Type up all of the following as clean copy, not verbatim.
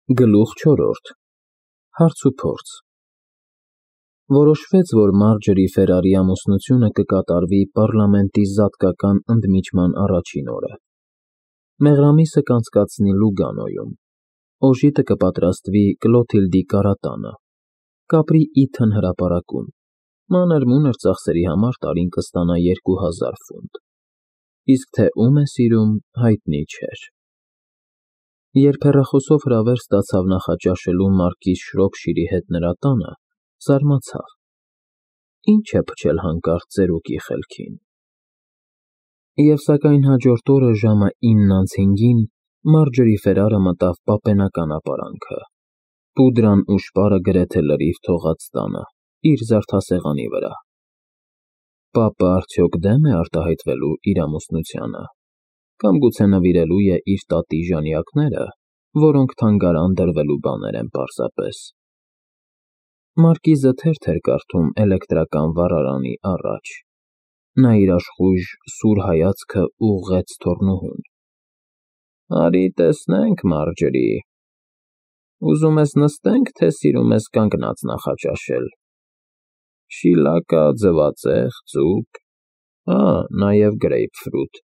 Գլուխ 4. Հարց ու փորձ Որոշվեց, որ Մարջերի Ֆերարի ամուսնությունը կկատարվի պառլամենտի զատկական ընդմիջման առաջին օրը։ Մեղրամիսը կանցկացնի Լուգանոյում։ Օժիտը կպատրաստվի Կլոթիլդի կարատանը։ Կապրի Իթն հրապարակում։ Մանր-մունր ծախսերի համար տարին կստանա 2000 ֆունտ։ Իսկ թե ում է սիրում, հայտնի չէր։ Երբ հեռախոսով հրավեր ստացավ նախաճաշելու մարկիզ Շրոփշիրի հետ նրա տանը, զարմացավ. ինչ է փչել հանկարծ ծերուկի խելքին։ Եվ սակայն հաջորդ օրը ժամը 9:05-ին Մարջերի Ֆերարը մտավ պապենական ապարանքը, պուդրան ու շպարը գրեթե լրիվ թողած տանը, իր զարդասեղանի վրա։ Պապը արդյոք դեմ է արտահայտվելու իր ամուսնությանը, կամ գուցե նվիրելու է իր տատի ժանյակները, որոնք թանգարան դրվելու բաներ են պարզապես։ Մարկիզը թերթ էր կարդում էլեկտրական վառարանի առաջ։ Նա իր աշխույժ սուր հայացքը ուղղեց թոռնուհուն։ Արի տեսնենք, Մարջերի, ուզում ես նստենք, թե սիրում ես կանգնած նախաճաշել։ Շիլակա, ձվածեղ, ձուկ, նաև գրեյփֆրուտ։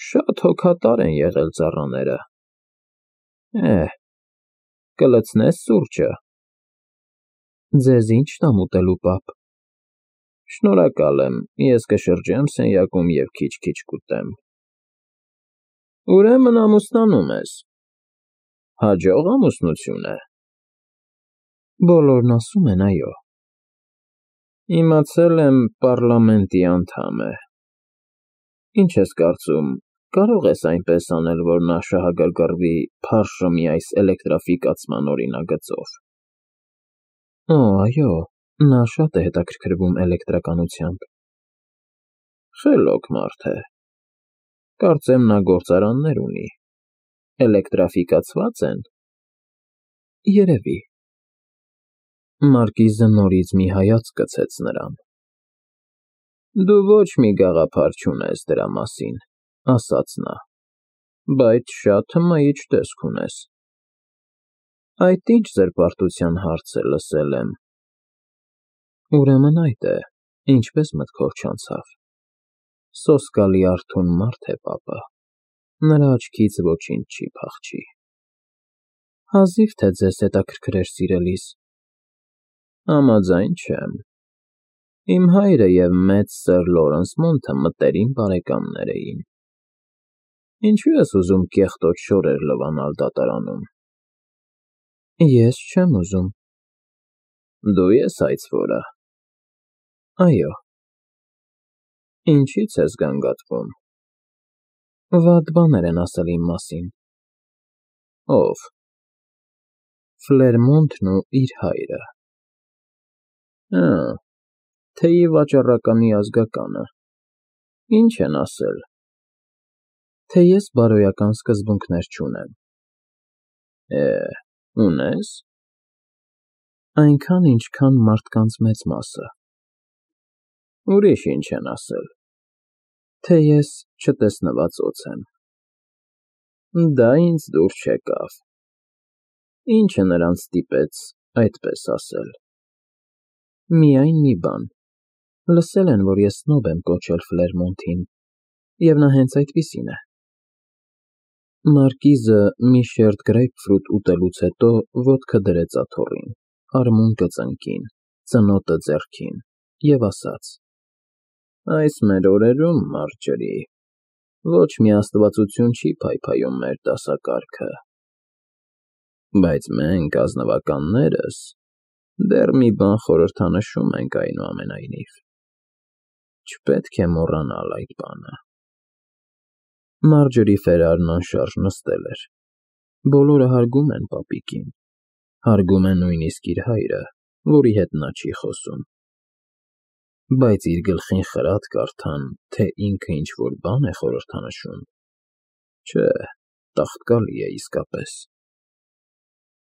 Շատ հոգատար են եղել ծառաները։ Կլցնե՞ս սուրճը։ Ձեզ ինչ տամ ուտելու, պապ։ Շնորհակալ եմ, ես կշրջեմ սենյակում և քիչ-քիչ կուտեմ։ Ուրեմն ամուսնանում ես։ Հաջող ամուսնություն է։ Բոլորն ասում են, այո։ Իմացել եմ, պառլամենտի անդամ է։ Ինչ ես կարծում, կարող ես այնպես անել, որ նա շահագրգռվի փարշը այս էլեկտրաֆիկացման օրինագծով։ Այո, նա շատ է հետաքրքրվում էլեկտրականությամբ։ Խելոք մարդ է։ Կարծեմ նա գործարաններ ունի։ Էլեկտրաֆիկացվա՞ծ են։ Երևի։ Մարկիզը նորից մի հայացք գցեց նրան։ Դու ոչ մի գաղափար չունես դրա մասին, ասաց նա, բայց շատ հմայիչ տեսք ունես։ Այդ ինչ զրպարտության հարց է, լսել եմ։ Ուրեմն այդ է, ինչպես մտքով չանցավ։ Սոսկալի արթուն մարդ է պապը, նրա աչքից ոչինչ չի փախչի։ Հազիվ թե ձեզ հետաքրքրեր սիրելիս։ Համաձայն չեմ։ Իմ հայրը և մեծ սըր Լորենս Մոնթը մտերիմ բարեկամներ էին։ Ինչու ես ուզում կեղտոտ շորեր լվանալ դատարանում։ Ես չեմ ուզում։ Դու ես այցվորը։ Այո։ Ինչի՞ց ես գանգատվում։ Վատ բաներ են ասել իմ մասին։ Ո՞վ։ Ֆլերմոնտն ու իր հայրը։ Թեյի վաճառականի ազգականը։ Ինչ են ասել։ Թե ես բարոյական սկզբունքներ չունեմ։ Ունես։ Այնքան, ինչքան մարդկանց մեծ մասը։ Ուրիշ ինչ են ասել։ Թե ես չտեսնված օձ եմ։ Դա ինձ դուր չեկավ։ Ինչը նրանց ստիպեց այդպես ասել։ Միայն մի բան։ Լսել են, որ ես սնոբ եմ կոչել Ֆլերմոնտին, և նա հենց այդպիսին է։ Մարկիզը մի շերտ գրեյփֆրուտ ուտելուց հետո ոտքը դրեց աթոռին, արմունկը ծնկին, ծնոտը ձեռքին, և ասաց. Այս մեր օրերում, Մարջերի, ոչ մի աստվածություն չի փայփայում մեր դասակարգը։ Բայց մենք, ազնվականներս, դեռ մի բան խորհրդանշում ենք այնուամենայնիվ։ Չպետք է մոռանալ այդ բանը։ Մարջերի Ֆերարն անշարժ նստել էր։ Բոլորը հարգում են պապիկին։ Հարգում են նույնիսկ իր հայրը, որի հետ նա չի խոսում։ Բայց իր գլխին խրատ կարդան, թե ինքը ինչ-որ բան է խորհրդանշում։ Չէ, տաղտկալի է իսկապես։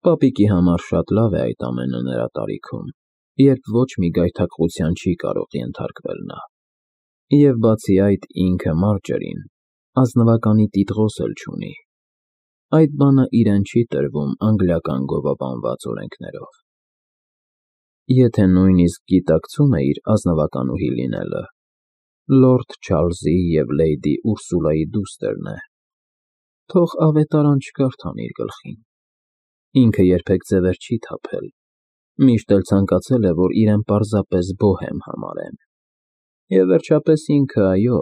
Պապիկի համար շատ լավ է այդ ամենը նրա տարիքում, երբ ոչ մի գայթակղության չի կարող ենթարկվել նա։ Եվ բացի այդ ինքը Մարջերին ազնվականի տիտղոս էլ չունի։ այդ բանը իրեն չի տրվում անգլիական գովաբանված օրենքներով։ Եթե նույնիսկ գիտակցում է իր ազնվականուհի լինելը, Լորդ Չարլզի և Լեյդի Ուրսուլայի դուստրն է, թող ավետարան չկարդան իր գլխին։ Ինքը երբեք ձևեր չի թափել, միշտ էլ ցանկացել է, որ իրեն պարզապես բոհեմ համարեն։ Եվ վերջապես ինքը, այո,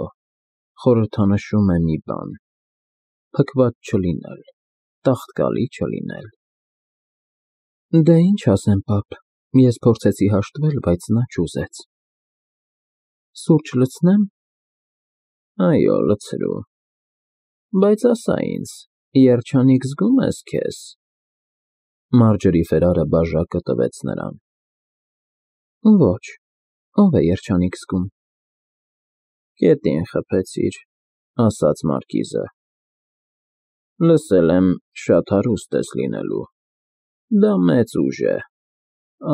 խորհրդանշում է մի բան. փքված չլինել, տաղտկալի չլինել։ Դե ինչ ասեմ, պապ, ես փորձեցի հաշտվել, բայց նա չուզեց։ Սուրճ լցնեմ։ Այո, լցրու։ Բայց ասա ինձ, երջանիկ զգում ես քեզ։ Մարջերի Ֆերարը բաժակը տվեց նրան։ Ոչ, ով է երջանիկ զգում։ Գետին խփեցիր, ասաց Մարկիզը։ Լսել եմ, շատ հարուստ ես լինելու։ Դա մեծ ուժ է։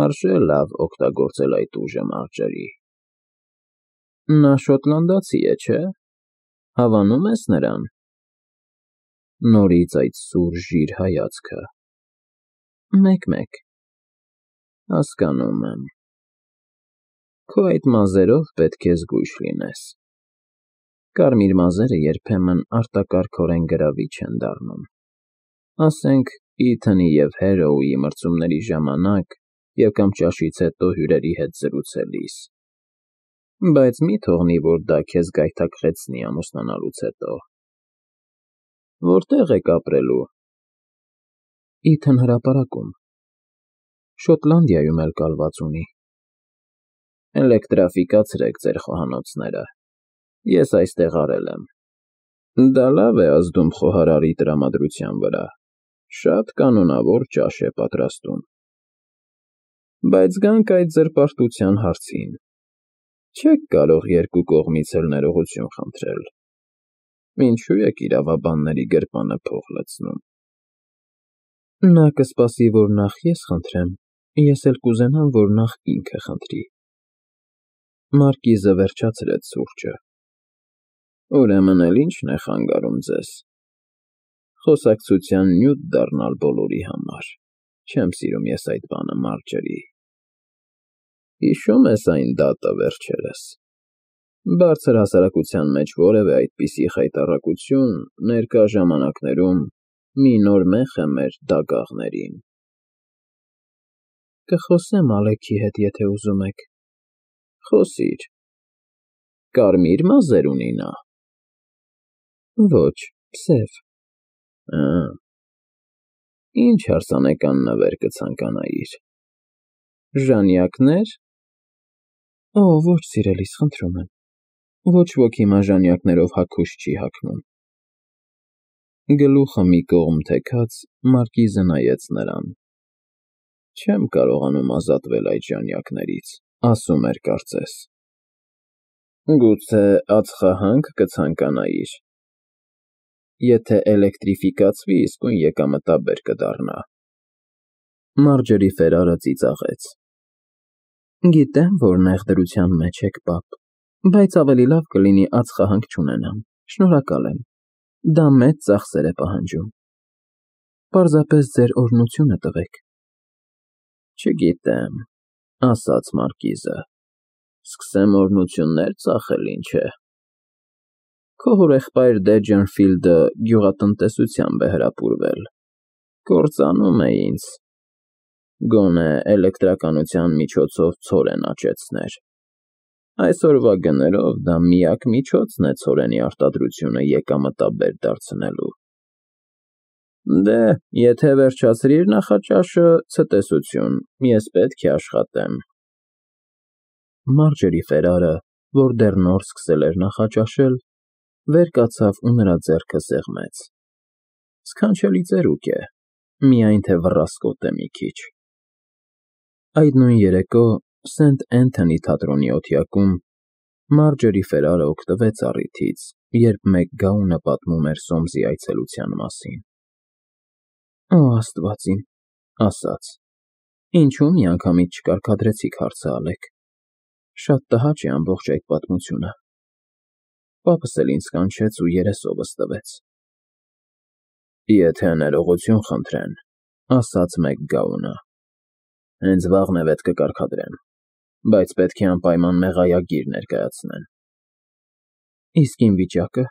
Արժե լավ օգտագործել այդ ուժը, Մարջերի։ Նա շոտլանդացի է, չէ՞։ Հավանում ես նրան։ Նորից այդ սուր ժիր հայացքը։ Մեկ-մեկ։ Հասկանում եմ։ Քո այդ մազերով պետք է զգույշ լինես։ Կարմիր մազերը երբեմն արտակարգորեն գրավիչ են դառնում։ Ասենք, Իթանի և Հերոուի մրցումների ժամանակ և կամ ճաշից հետո հյուրերի հետ զրուցելիս։ Բայց մի թողնի, որ դա քեզ գայթակղեցնի ամուսնանալուց հետո։ Որտե՞ղ եք ապրելու։ Իթան հրապարակում։ Շոտլանդիայում էլ կալված ունի։ Էլեկտրաֆիկացրեք ձեր խոհանոցները։ Ես այստեղ արել եմ։ Դա լավ է ազդում խոհարարի տրամադրության վրա։ Շատ կանոնավոր ճաշ է պատրաստում։ Բայց գանք այդ զրպարտության հարցին։ Չեք կարող երկու կողմից էլ ներողություն խնդրել։ Ինչու եք իրավաբանների գրպանը փող լցնում։ Նա կսպասի, որ նախ ես խնդրեմ, ես էլ կուզենամ, որ նախ ինքը խնդրի։ Մարկիզը վերջացրեց սուրճը։ Ուրեմն էլ ի՞նչն է խանգարում ձեզ։ Խոսակցության նյութ դառնալ բոլորի համար։ Չեմ սիրում ես այդ բանը, Մարջերի։ Հիշում ես այն դատը վերջերս։ Բարձր հասարակության մեջ որևէ այդպիսի խայտառակություն ներկա ժամանակներում մի նոր մեղ է մեր դագաղներին։ Կխոսեմ Ալեքի հետ, եթե ուզում եք։ Խոսիր։ Կարմիր մազեր ունի նա։ Ոչ, սև։ Ինչ հարսանեկան նվեր կցանկանայիր։ Ժանյակներ։ Օ, ոչ, սիրելիս, խնդրում եմ։ Ոչ ոք հիմա ժանյակներով հագուշ չի հագնում։ Գլուխը մի կողմ թեքած, Մարկիզը նայեց նրան։ Չեմ կարողանում ազատվել այդ ժանյակներից, ասում էր կարծես։ Գուցե ածխահա՞նք կցանկանայիր։ Եթե էլեկտրիֆիկացվի, իսկույն եկամտաբեր կդառնա։ Մարջերի Ֆերարը ծիծաղեց։ Գիտեմ, որ նեղ դրության մեջ եք, պապ, բայց ավելի լավ կլինի ածխահանք չունենամ, շնորհակալ եմ, դա մեծ ծախսեր է պահանջում։ Պարզապես ձեր օրհնությունը տվեք։ Չգիտեմ, ասաց Մարկիզը, սկսեմ օրհնություններ ծախել, ինչ է։ Քո հորեղբայր Դեջենֆիլդը գյուղատնտեսությամբ է հրապուրվել, կործանում է ինձ, գոնե էլեկտրականության միջոցով ցորեն աճեցներ։ Այսօրվա գներով դա միակ միջոցն է ցորենի արտադրությունը եկամտաբեր դարձնելու։ Դե, եթե վերջացրիր նախաճաշը, ցտեսություն, ես պետք է աշխատեմ։ Մարջերի Ֆերարը, որ դեռ նոր սկսել էր նախաճաշել, վեր կացավ ու նրա ձեռքը սեղմեց։ Սքանչելի ծերուկ է, միայն թե վռասկոտ է մի քիչ։ Այդ նույն երեկո Սենթ Էնթոնի թատրոնի օթյակում Մարջերի Ֆերարը օգտվեց առիթից, երբ մեկ գաունը պատմում էր Սոմսի այցելության մասին։ Օ, Աստված իմ, ասաց, ինչու միանգամից չկարգադրեցիք հարցը, Ալեք։ Շատ տհաճ է ամբողջ այդ պատմությունը։ Պապս էլ ինձ կանչեց ու երեսովս տվեց։ Եթե ներողություն խնդրեն, ասաց մեկ գաունը, հենց վաղն է վետ կկարգադրեմ, բայց պետք է անպայման մեղայագիր ներկայացնեն։ Իսկ իմ վիճակը։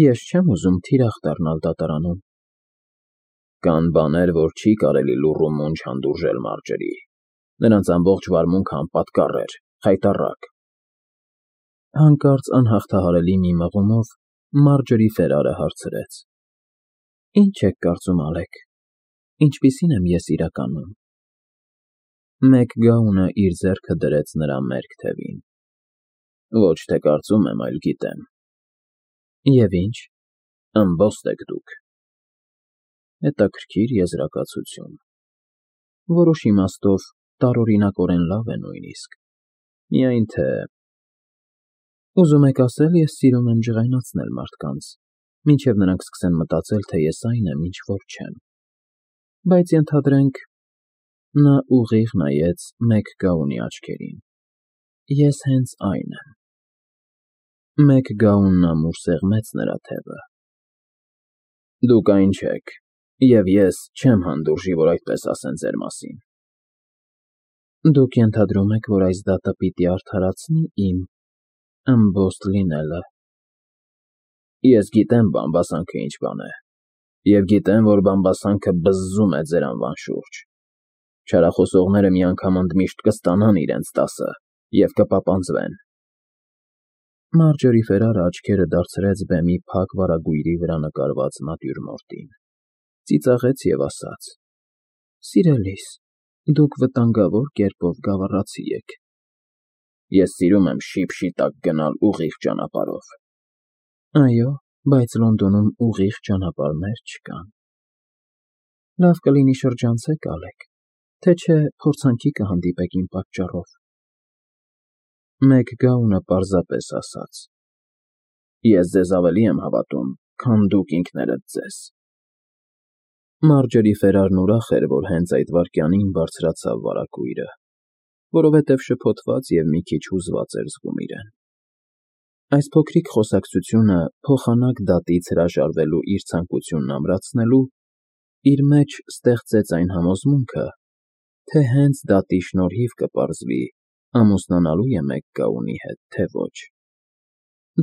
Ես չեմ ուզում թիրախ դառնալ դատարանում։ Կան բաներ, որ չի կարելի լուռ ու մունջ հանդուրժել, Մարջերի։ Նրանց ամբողջ վարմունքը անպատկառ էր, խայտառակ։ Հանկարծ անհաղթահարելի մի մղումով Մարջերի Ֆերարը հարցրեց. Ինչ եք կարծում, Ալեք, ինչպիսին եմ ես իրականում։ Մեկ գաունը իր ձեռքը դրեց նրա մերկ թևին։ Ոչ թե կարծում եմ, այլ գիտեմ։ Եվ ինչ, ըմբոստ եք դուք։ Հետաքրքիր եզրակացություն։ Որոշ իմաստով տարօրինակորեն լավ է նույնիսկ։ Միայն թե… Ուզում եք ասել, ես սիրում եմ ջղայնացնել մարդկանց, մինչև նրանք սկսեն մտածել, թե ես այն եմ, ինչ որ չեմ։ Բայց ենթադրենք… Նա ուղիղ նայեց մեկ գաունի աչքերին։ Ես հենց այն եմ։ Մեկ գաունն ամուր սեղմեց նրա թևը։ Դուք այն չեք, և ես չեմ հանդուրժի, որ այդպես ասեն ձեր մասին։ Դուք ենթադրում եք, որ այս դատը պիտի արդարացնի իմ ըմբոստ լինելը։ Ես գիտեմ բամբասանքը ինչ բան է, և գիտեմ, որ բամբասանքը բզզում է ձեր անվան շուրջ։ Չարախոսողները միանգամ ընդմիշտ կստանան իրենց տասը և կպապանձվեն։ Մարջերի Ֆերարը աչքերը դարձրեց բեմի փակ վարագույրի վրա նկարված նատյուրմորտին, ծիծաղեց և ասաց. Սիրելիս, դուք վտանգավոր կերպով գավառացի եք։ Ես սիրում եմ շիպ-շիտակ գնալ ուղիղ ճանապարհով։ Այո, բայց Լոնդոնում ուղիղ ճանապարհներ չկան։ Լավ կլինի շրջանցեք, Ալեք, թե չէ փորձանքի կհանդիպեք իմ պատճառով։ Մեկ գաունը պարզապես ասաց. Ես ձեզ ավելի եմ հավատում, քան դուք ինքներդ ձեզ։ Մարջերի Ֆերարն ուրախ էր, որ հենց այդ վայրկյանին բարձրացավ վարագույրը, որովհետև շփոթված և մի քիչ հուզված էր զգում իրեն։ Այս փոքրիկ խոսակցությունը փոխանակ դատից հրաժարվելու իր ցանկությունն ամրացնելու իր մեջ ստեղծեց այն համոզմունքը, թե հենց դատի շնորհիվ կպարզվի ամուսնանալու է մեկ գաունի հետ, թե ոչ։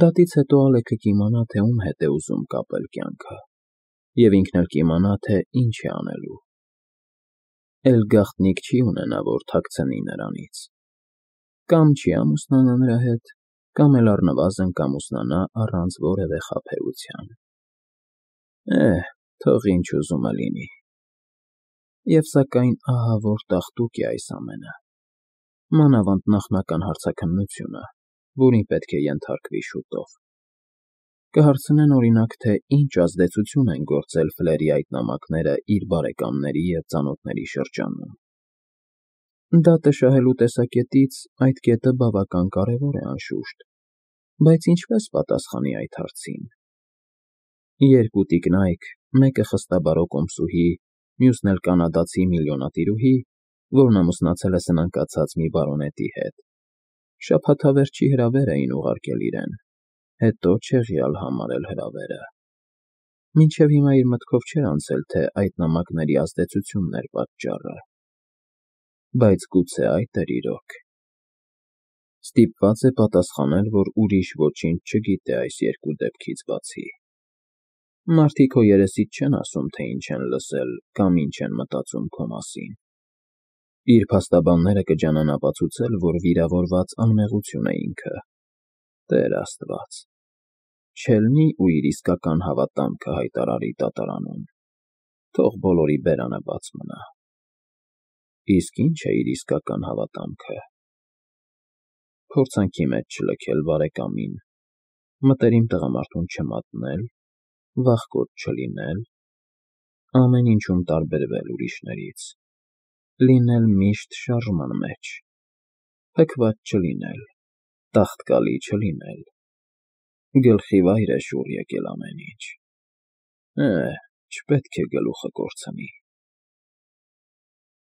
Դատից հետո Ալեքը կիմանա, թե ում հետ է ուզում կապել կյանքը, և ինքն էլ կիմանա, թե ինչ է անելու։ Էլ գաղտնիք չի ունենա, որ թաքցնի նրանից։ Կամ չի ամուսնանա նրա հետ, կամ էլ առնվազն կամուսնանա առանց որևէ խաբեության։ Թող ինչ ուզում է լինի։ Եվ սակայն ահա որ տաղտուկ է այս ամենը։ Մանավանդ նախնական հարցաքննությունը, որին պետք է ենթարկվի շուտով։ Կհարցնեն օրինակ, թե ինչ ազդեցություն են գործել Ֆլերի այդ նամակները իր բարեկամների և ծանոթների շրջանում։ Դատը շահելու տեսակետից այդ կետը բավական կարևոր է, անշուշտ, բայց ինչպես պատասխանի այդ հարցին։ Երկու տիկնայք, մեկը խստաբարո կոմսուհի, մյուսն էլ կանադացի միլիոնատիրուհի, որն ամուսնացել է սնանկացած մի բարոնետի հետ, շաբաթավերջի հրավեր էին ուղարկել իրեն, հետո չեղյալ համարել հրավերը։ Մինչև հիմա իր մտքով չէր անցել, թե այդ նամակների ազդեցությունն էր պատճառը։ Բայց գուցե այդ էր իրոք։ Ստիպված է պատասխանել, որ ուրիշ ոչինչ չգիտե այս երկու դեպքից բացի։ Մարդիկ քո երեսից չեն ասում, թե ինչ են լսել կամ ինչ են մտածում քո մասին։ Իր փաստաբանները կջանան ապացուցել, որ վիրավորված անմեղություն է ինքը։ Տեր Աստված, չելնի ու իր իսկական հավատամքը հայտարարի դատարանում, թող բոլորի բերանը բաց մնա։ Իսկ ի՞նչ է իր իսկական հավատամքը։ Փորձանքի մեջ չլքել բարեկամին, մտերիմ տղամարդուն չմատնել, վախկոտ չլինել, ամեն ինչում տարբերվել ուրիշներից, լինել միշտ շարժման մեջ, փքված չլինել, տաղտկալի չլինել, գլխի վայր է շուռ եկել ամեն ինչ։ Չպետք է գլուխը կորցնի։